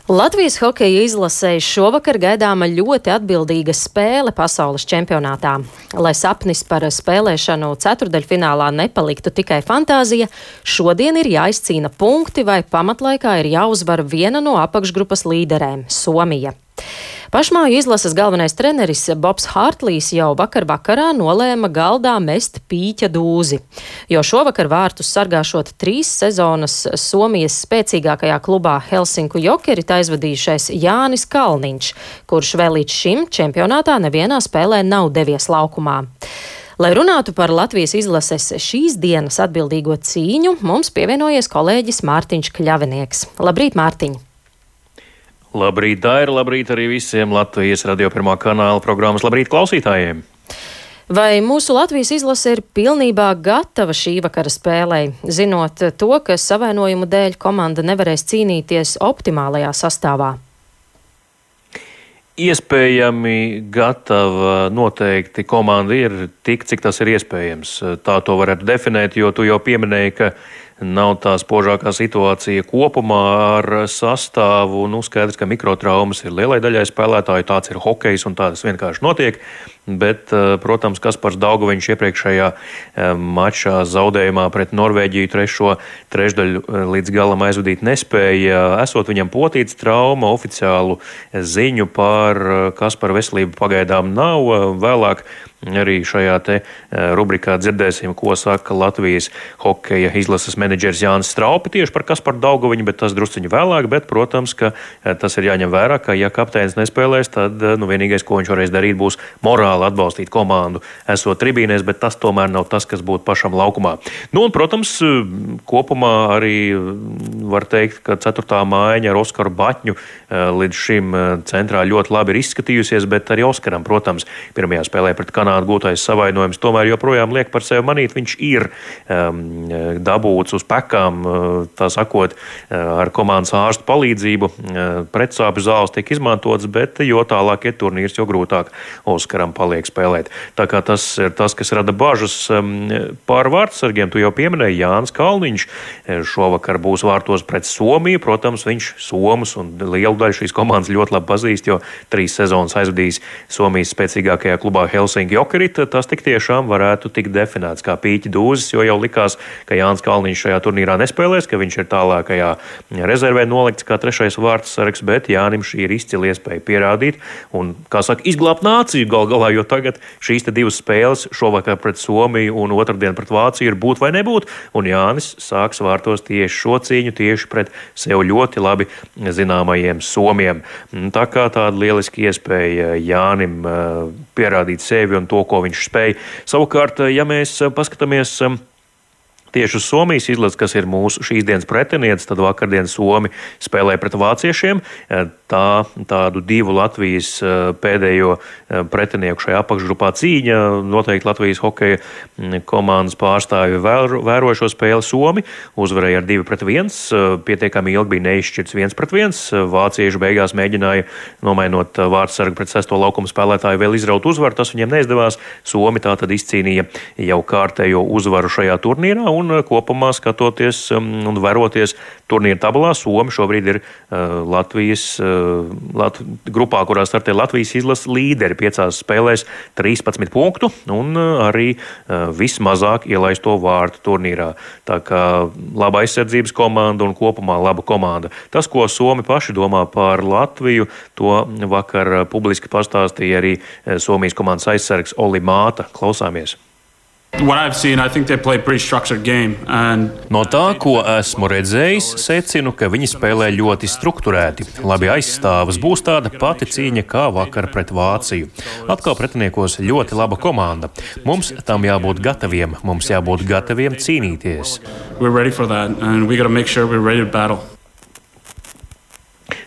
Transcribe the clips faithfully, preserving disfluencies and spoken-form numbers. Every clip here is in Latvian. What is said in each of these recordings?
Latvijas hokeja izlasei šovakar gaidāma ļoti atbildīga spēle pasaules čempionātā. Lai sapnis par spēlēšanu ceturdaļfinālā nepaliktu tikai fantāzija, šodien ir jāizcīna punkti vai pamatlaikā ir jāuzvar viena no apakšgrupas līderēm - Somija. Pašmāju izlases galvenais treneris Bobs Hārtlijs jau vakar vakarā nolēma galdā mest pīķa dūzi, jo šovakar vārtus sargāšot trīs sezonas Somijas spēcīgākajā klubā Helsinku Jokerit aizvadījušais Jānis Kalniņš, kurš vēl līdz šim čempionātā nevienā spēlē nav devies laukumā. Lai runātu par Latvijas izlases šīs dienas atbildīgo cīņu, mums pievienojies kolēģis Mārtiņš Kļavinieks. Labrīt, Mārtiņ! Labrīt, Daira, labrīt arī visiem Latvijas Radio pirmā kanāla programmas labrīt klausītājiem. Vai mūsu Latvijas izlase ir pilnībā gatava šī vakara spēlei, zinot to, ka savainojumu dēļ komanda nevarēs cīnīties optimālajā sastāvā? Iespējami gatava noteikti komanda ir tik, cik tas ir iespējams. Tā to varētu definēt, jo tu jau pieminēji, ka nav tā spožākā situācija kopumā ar sastāvu. Nu, skaidrs, ka mikrotraumas ir lielai daļai spēlētāju, tāds ir hokejs un tā tas vienkārši notiek. Bet, protams, Kaspars Daugaviņš iepriekšējā mačā zaudējumā pret Norvēģiju trešo trešdaļu līdz galam aizvadīt nespēja. Esot viņam potīts trauma, oficiālu ziņu par Kaspara veselību pagaidām nav. Vēlāk arī šajā te rubrikā dzirdēsim, ko saka Latvijas hokeja izlases menedžers Jānis Straupe tieši par Kasparu Daugaviņu, bet tas drusciņu vēlāk. Bet, protams, ka tas ir jāņem vērā, ka ja kapteinis nespēlēs, tad nu, vienīgais, ko viņš varēs darīt, būs morāli atbalstīt komandu, esot tribīnēs, bet tas tomēr nav tas, kas būtu pašam laukumā. Nu, un, protams, kopumā arī var teikt, ka ceturtā mājiņa ar Oskaru Baķņu līdz šim centrā ļoti labi ir izskatījusies, bet arī Oskaram, protams, pirmajā spēlē pret Kanādu gūtais savainojums tomēr joprojām liek par sevi manīt. Viņš ir um, dabūts uz pekām, tā sakot, ar komandas ārstu palīdzību. Pretsāpju zāles tiek izmantotas, bet jo tālāk ir turnīrs, jo grūtāk Oskaram paliek spēlēt. Tā kā tas ir tas, kas rada bažas pār vārtsargiem. Tu jau pieminēji, Jānis Kalniņš šovakar būs vārtos pret Somiju. Protams, viņš Somus un lielu daļu šīs komandas ļoti labi pazīst, jo trīs sezonas aizvadījis Somijas spēcīgākajā klubā Helsinku Jokerit. Tas tik tiešām varētu tikt definēts kā pīķa dūzis, jo jau likās, ka Jānis Kalniņš šajā turnīrā nespēlēs, ka viņš ir tālākajā rezervē nolikts kā trešais vārtsargs, bet Jānim šī ir izcila iespēja pierādīt un, kā saka, izglābt nāciju gal galā, jo tagad šīs te divas spēles šovakar pret Somiju un otrdien pret Vāciju ir būt vai nebūt, un Jānis sāks vārtos tieši šo cīņu tieši pret sev ļoti labi zināmajiem somiem. Tā kā tāda lieliski iespēja Jānim pierādīt sevi un to, ko viņš spēj. Savukārt, ja mēs paskatāmies tieši uz Somijas izlasi, kas ir mūsu šīs dienas pretinieks, tad vakardien Somi spēlēja pret vāciešiem. Tā tādu divu Latvijas pēdējo pretinieku šajā apakšgrupā cīņa. Noteikti Latvijas hokeja komandas pārstāvi vēroja šo spēli. Somi uzvarēja ar divi pret viens. Pietiekami ilgi bija neizšķirts viens pret viens. Vācieši beigās mēģināja, nomainot vārtsargu pret sesto laukumu spēlētāju, vēl izraut uzvaru. Tas viņiem neizdevās. Somi tātad izcīnīja jau kārtējo uzvaru šajā turnīrā. Un kopumā skatoties un veroties turnīra tabulā, Somi šobrīd ir uh, Latvijas uh, Lat grupā, kurā startē Latvijas izlases līderi piecās spēlēs trīspadsmit punktu un uh, arī uh, vismazāk ielaisto vārtu turnīrā. Tā kā laba aizsardzības komanda un kopumā laba komanda. Tas, ko Somi paši domā par Latviju, to vakar publiski pastāstīja arī Somijas komandas aizsargs Oli Māta. Klausāmies. Seen, game, and... No tā, ko esmu redzējis, secinu, ka viņi spēlē ļoti strukturēti. Labi aizstāvas, būs tāda pati cīņa kā vakar pret Vāciju. Atkal pretiniekos ļoti laba komanda. Mums tam jābūt gataviem, mums jābūt gataviem cīnīties.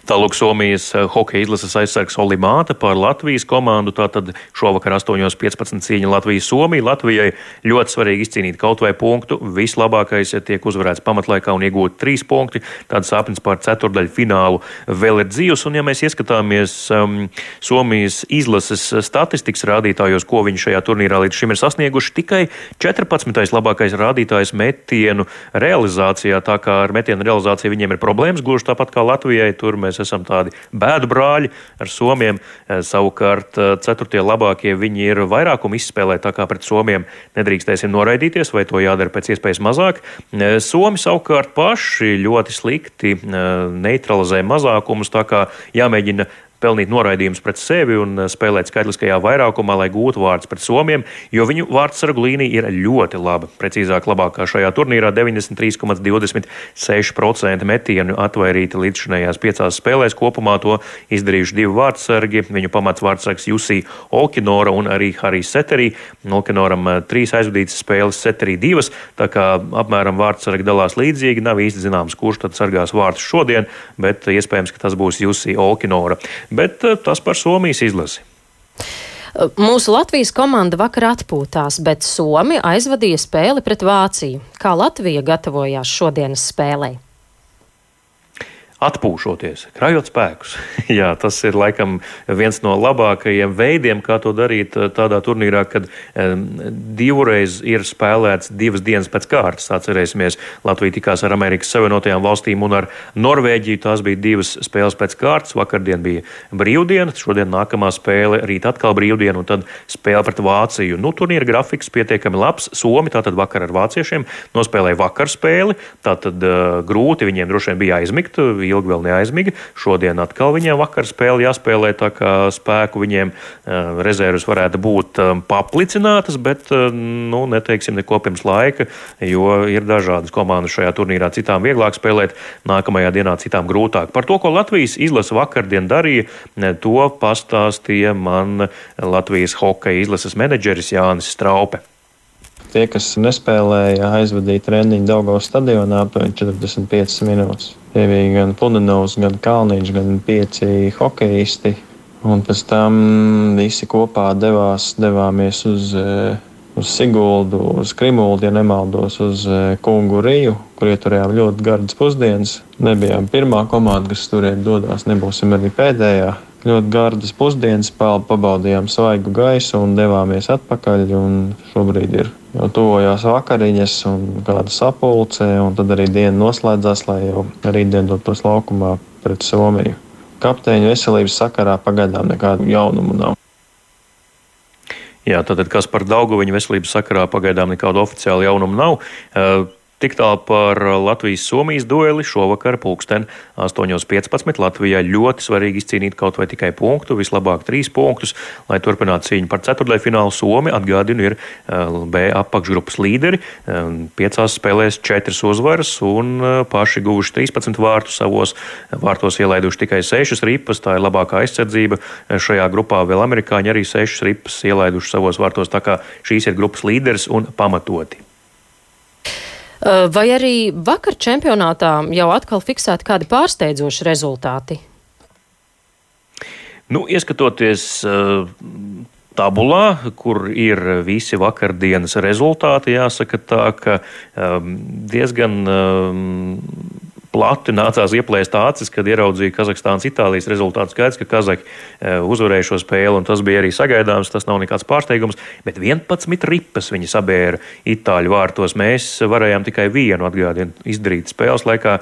Tālūk Somijas hokeja izlases aizsargs Oli Māte par Latvijas komandu. Tātad šovakar astoņos piecpadsmit cīņa Latvijas-Somija. Latvijai ļoti svarīgi izcīnīt kaut vai punktu. Vislabākais tiek uzvarēts pamatlaikā un iegūt trīs punkti. Tāds sapnis par ceturdaļu finālu vēl ir dzīvs. Un ja mēs ieskatāmies um, Somijas izlases statistikas rādītājos, ko viņi šajā turnīrā līdz šim ir sasnieguši, tikai četrpadsmitais labākais rādītājs metienu realizācijā. Tā kā ar metienu realizāciju viņiem ir problēmas, gluži tāpat kā Latvijai. Tur mēs mēs esam tādi bēdu brāļi ar somiem. Savukārt ceturtie labākie viņi ir vairākumu izspēlē, tā kā pret somiem nedrīkstēsim noraidīties, vai to jādara pēc iespējas mazāk. Somi savukārt paši ļoti slikti neutralizē mazākumus, tā kā jāmēģina pelnīt noraidījumus pret sevi un spēlēt skaitliskajā vairākumā, lai gūtu vārdus pret somiem, jo viņu vārdsargu līnija ir ļoti laba. Precīzāk labākā šajā turnīrā deviņdesmit trīs komats divdesmit seši procenti metienu atvairīti līdzšinējās piecās spēlēs. Kopumā to izdarījuši divi vārdsargi. Viņu pamats vārdsargs Jusī Olkinora un arī Harijs Seterī. Olkinoram trīs aizvadītas spēles, Seterī divas, tā kā apmēram vārdsargi dalās līdzīgi. Nav īsti zināms, kurš tad sargās vārdus šodien, bet iespējams, ka tas būs Jusī Olkinora. Bet tas par Somijas izlasi. Mūsu Latvijas komanda vakar atpūtās, bet Somi aizvadīja spēli pret Vāciju. Kā Latvija gatavojās šodienas spēlei? Atpūšoties, krājot spēkus. Jā, tas ir laikam viens no labākajiem veidiem, kā to darīt tādā turnīrā, kad um, divreiz ir spēlēts divas dienas pēc kārtas. Atcerēsimies, Latvija tikās ar Amerikas Savienotajām valstīm un ar Norvēģiju. Tās bija divas spēles pēc kārtas. Vakardien bija brīvdiena, šodien nākamā spēle, rīt atkal brīvdiena un tad spēle pret Vāciju. Nu, turnīra grafiks pietiekami labs. Somi tātad vakar ar vāciešiem nospēlēja vakar spēli. Tātad uh, grūti viņiem droši vien bija aizmigt. Ilgi vēl neaizmiga. Šodien atkal viņiem vakar spēle jāspēlē, tā kā spēku viņiem uh, rezervas varētu būt um, paplicinātas, bet, uh, nu, neteiksim neko pirms laika, jo ir dažādas komandas šajā turnīrā. Citām vieglāk spēlēt, nākamajā dienā citām grūtāk. Par to, ko Latvijas izlase vakardien darīja, to pastāstīja man Latvijas hokeja izlases menedžeris Jānis Straupe. Tie, kas nespēlēja, aizvadīja treniņu Daugavas stadionā aptuveni četrdesmit piecas minūtes. Tie bija gan Pudenovs, gan Kalniņš, gan pieci hokeisti. Un pēc tam visi kopā devās, devāmies uz, uz Siguldu, uz Krimuldu, ja nemaldos, uz Kungu Riju, kur ieturējām ļoti gardas pusdienas. Nebijām pirmā komanda, kas turēt dodās, nebūsim arī pēdējā. Ļoti gardas pusdienas, pabaudījām svaigu gaisu un devāmies atpakaļ. Un šobrīd ir jau tuvojās vakariņas un kāda sapulce, un tad arī diena noslēdzās, lai jau rītdien dotos laukumā pret Somiju. Kapteiņu veselības sakarā pagaidām nekādu jaunumu nav. Jā, tātad kas par Daugaviņu veselības sakarā pagaidām nekādu oficiālu jaunumu nav. Uh, Tik tālu par Latvijas-Somijas dueli. Šovakar pulksten astoņos piecpadsmit Latvijā ļoti svarīgi izcīnīt kaut vai tikai punktu, vislabāk trīs punktus, lai turpinātu cīņu par ceturtdaļfinālu. Somi, atgādinu, ir B apakšgrupas līderi, piecās spēlēs četras uzvaras un paši guvuši trīspadsmit vārtus, savos vārtos ielaiduši tikai sešas ripas. Tā ir labākā aizsardzība šajā grupā. Vēl amerikāņi arī sešas ripas ielaiduši savos vārtos, tā kā šīs ir grupas līderis un pamatoti. Vai arī vakar čempionātā jau atkal fiksēti kādi pārsteidzoši rezultāti? Nu, ieskatoties uh, tabulā, kur ir visi vakardienas rezultāti, jāsaka tā, ka um, diezgan um, plati nācās ieplēst acis, kad ieraudzīja Kazahstānas Itālijas rezultātu. Skaidrs, ka Kazaki uzvarēja šo spēli, un tas bija arī sagaidāms, tas nav nekāds pārsteigums, bet vienpadsmit ripas viņi sabēra Itāļu vārtos. Mēs varējām tikai vienu atgādinu izdarīt spēles laikā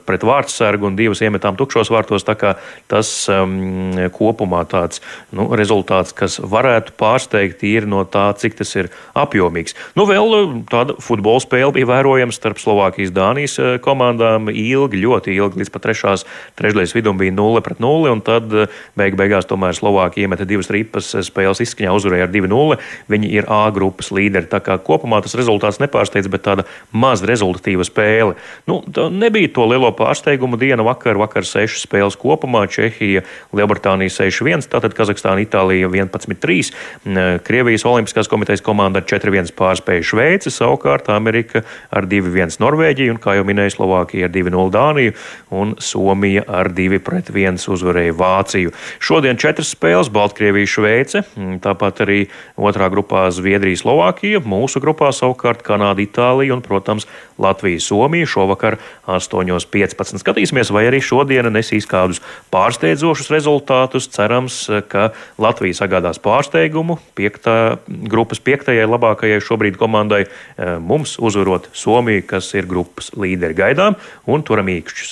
pret vārtsargu un divas iemetām tukšos vārtos, tā kā tas um, kopumā tāds nu, rezultāts, kas varētu pārsteigt ir no tā, cik tas ir apjomīgs. Nu, vēl tāda futbola spēle bija vērojama starp Slovākijas Dānijas komandām. Ilgi, ļoti ilgi, līdz pat trešās trešdaļas vidum bija nulle pret nulli, un tad beig beigās tomēr Slovākija iemeta divas ripas, spēles izskaņā uzvarēja ar divi nulle. Viņi ir A grupas līderi, tā kā kopumā tas rezultāts nepārsteidz, bet tāda maz rezultatīva spēle. Nu, nebija to lielo pārsteigumu diena vakar, vakar sešas spēles kopumā, Čehija, Lielbritānija seši viens, tātad Kazahstāna, Itālija vienpadsmit trīs, Krievijas Olimpiskās komitejas komanda ar četri viens pārspēja Šveici, savukārt Amerika ar divi viens Norvēģiju, un kā jau minēja, Slovākija ar divi nulle Dāniju un Somija ar divi pret viens uzvarēja Vāciju. Šodien četras spēles, Baltkrievija, Šveice, tāpat arī otrā grupā Zviedrija, Slovākija, mūsu grupā savukārt Kanāda, Itālija un, protams, Latvija, Somija šovakar astoņos piecpadsmit. Skatīsimies, vai arī šodiena nesīs kādus pārsteidzošus rezultātus. Cerams, ka Latvija sagādās pārsteigumu piektā, grupas piektajai labākajai šobrīd komandai mums uzvarot Somiju, kas ir grupas līderi. Gaidām un turam īkšķus.